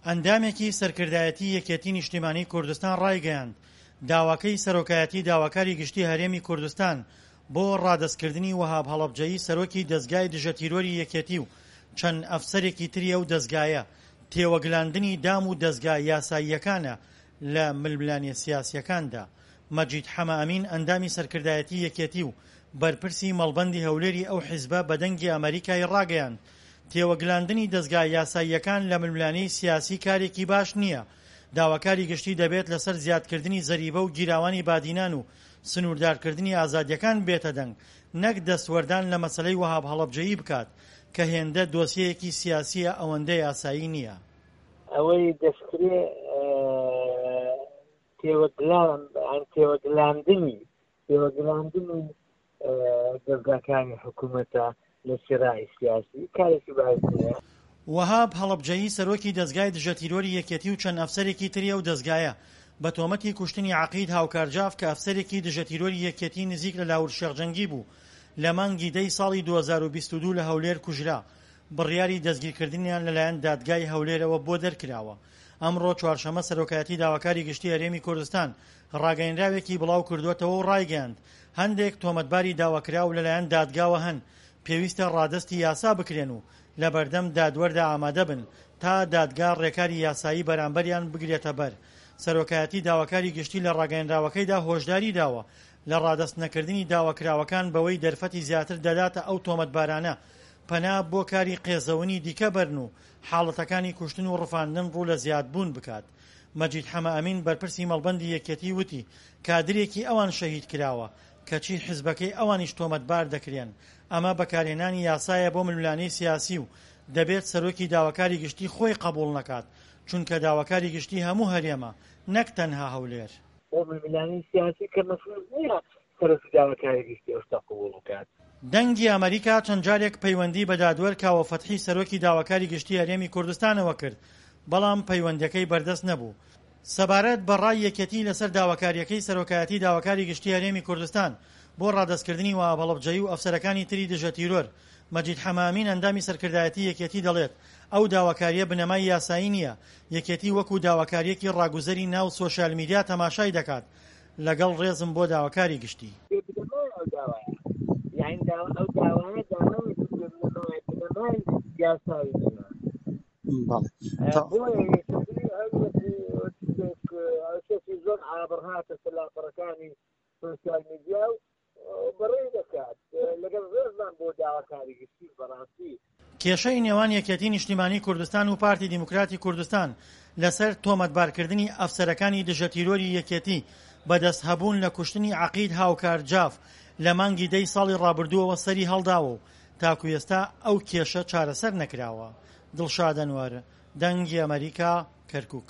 ئەندامێکی سەرکردایەتی یەکێتی نیشتیمانی کوردستان ڕایگەیاند، داواکەی سەرۆکایەتی داواکاری گشتی هەرێمی کوردستان بۆ ڕادەستکردنی وەهاب هەڵەبجەیی سەرۆکی دەزگای دژەتیرۆری یەکێتی و چەند ئەفسەرێکی تری ئەو دەزگایە، تێوەگلاندنی دام و دەزگا یاساییەکانە لە ململانێ سیاسییەکاندا. مەجید حەمە ئەمین ئەندامی سەرکردایەتی یەکێتی و بەرپرسی مەڵبەندی هەولێری ئەو حیزبە بە دەنگی ئەمەریکای ڕاگەیاند، تێوەگلاندنی دەزگا یاساییەکان لە ململانێی سیاسی کارێکی باش نییە، داواکاری گشتی دەبێت لەسەر زیادکردنی زەریبە و گیراوانی بادینان و سنووردارکردنی ئازادییەکان بێتە دەنگ نەک دەستوەردان لە مەسەلەی وەهاب هەڵەبجەیی بکات کە هێندە دۆسیەیەکی سیاسییە ئەوەندە یاسایی نییە. ئەوەی دەشکرێ تێوەگلان تێوەگلاندنی تێوەگلاندنی دەزگاکانی حکوومەتە لە سراعی سیاسی کارێکی باش نییە. وەهاب هەڵەبجەیی سەرۆکی دەزگای دژەتیرۆری یەکێتی و چەند ئەفسەرێکی تری ئەو دەزگایە بە تۆمەتی کوشتنی عەقید هاوکار جاف کە ئەفسەرێکی دژەتیرۆری یەکێتی نزیک لە لاهور شێخ جەنگی بوو لە مانگی دەی ساڵی 2022 لە هەولێر کوژرا بڕیاری دەستگیرکردنیان لەلایەن دادگای هەولێرەوە بۆ دەرکراوە. ئەمڕۆ چوارشەممە سەرۆکایەتی داواکاری گشتی هەرێمی کوردستان ڕاگەیەنراوێکی بڵاوکردووەتەوە و ڕایگەیاند، هەندێک تۆمەتباری داواکراو لەلایەن دادگاوە هەن پێویستە ڕادەستی یاسا بکرێن و لەبەردەم دادوەردا ئامادەبن تا دادگا ڕێکاری یاسایی بەرامبەریان بگرێتەبەر. سەرۆکایەتی داواکاری گشتی لە ڕاگەیەنراوەکەیدا هۆشداری داوە لە ڕادەست نەکردنی داواکراوەکان بەوەی دەرفەتی زیاتر دەداتە ئەو تۆمەتبارانە پەنا بۆ کاری قێزەونی دیکە بەرن و حاڵەتەکانی کوشتن و ڕفاندن ڕوو لە زیادبوون بکات. مەجید حەمەئەمین بەرپرسی مەڵبەندی یەکێتی وتی، کادرێکی ئەوان شەهید کراوە، کەچی حزبەکەی ئەوانیش تۆمەتبار دەکرێن، ئەمە بەکارهێنانی یاسایە بۆ ململانێی سیاسی و دەبێت سەرۆکی داواکاری گشتی خۆی قەبوڵ نەکات، چونکە داواکاری گشتی هەموو هەرێمە نەک تەنها هەولێر. بۆ ململانێی سیاسی کە مەفروز نییە سەرۆکی داواکاری گشتی ئەو شتە قبوڵ بکات. دەنگی ئەمەریکا چەند جارێک پەیوەندی بە دادوەر کاوە فەتحی سەرۆکی داواکاری گشتی هەرێمی کوردستانەوە کرد، بەڵام پەیوەندیەکەی بەردەست نەبوو. سەبارەت بە ڕای یەکێتی لەسەر داواکاریەکەی سەرۆکایەتی داواکاری گشتی هەرێمی کوردستان بۆ ڕادەستکردنی وەهاب هەڵەبجەیی و ئەفسەرەکانی تری دژە تیرۆر، مەجید حەمەئەمین ئەندامی سەرکردایەتی یەکێتی دەڵێت، ئەو داواکاریە بنەمای یاسایی نییە، یەکێتی وەکو داواکاریەکی ڕاگوزەری ناو سۆشیال میدیا تەماشای دەکات، لەگەڵ ڕێزم بۆ داواکاری گشتی. بێ بنەمایە ئەو داوایە یانی داوا ئەو داوایە داوایەکی بێ بنەمایە بنەمای یاسایی نییە بەڵێ بۆیە یەکێتی هەر وەکو شتێک شتێکی زۆر عابڕ هاتە سەر لاپەڕەکانی سۆشیال میدیا و بەڕێی دەکات لەگەڵ ڕێزمان بۆ داواکاری گشتی بەڕاستی. کێشەی نێوان یەکێتی نیشتیمانی کوردستان و پارتی دیموکراتی کوردستان لەسەر تۆمەتبارکردنی ئەفسەرەکانی دژەتیرۆری یەکێتی بە دەستهەبوون لە کوشتنی عەقید هاوکار جاف لە مانگی دەی ساڵی ڕابردووەوە سەری هەڵداوە و تاکو ئێستا ئەو کێشە چارەسەر نەکراوە. دڵشاد ئەنوەر، دەنگی ئەمەریکا، کەرکوک.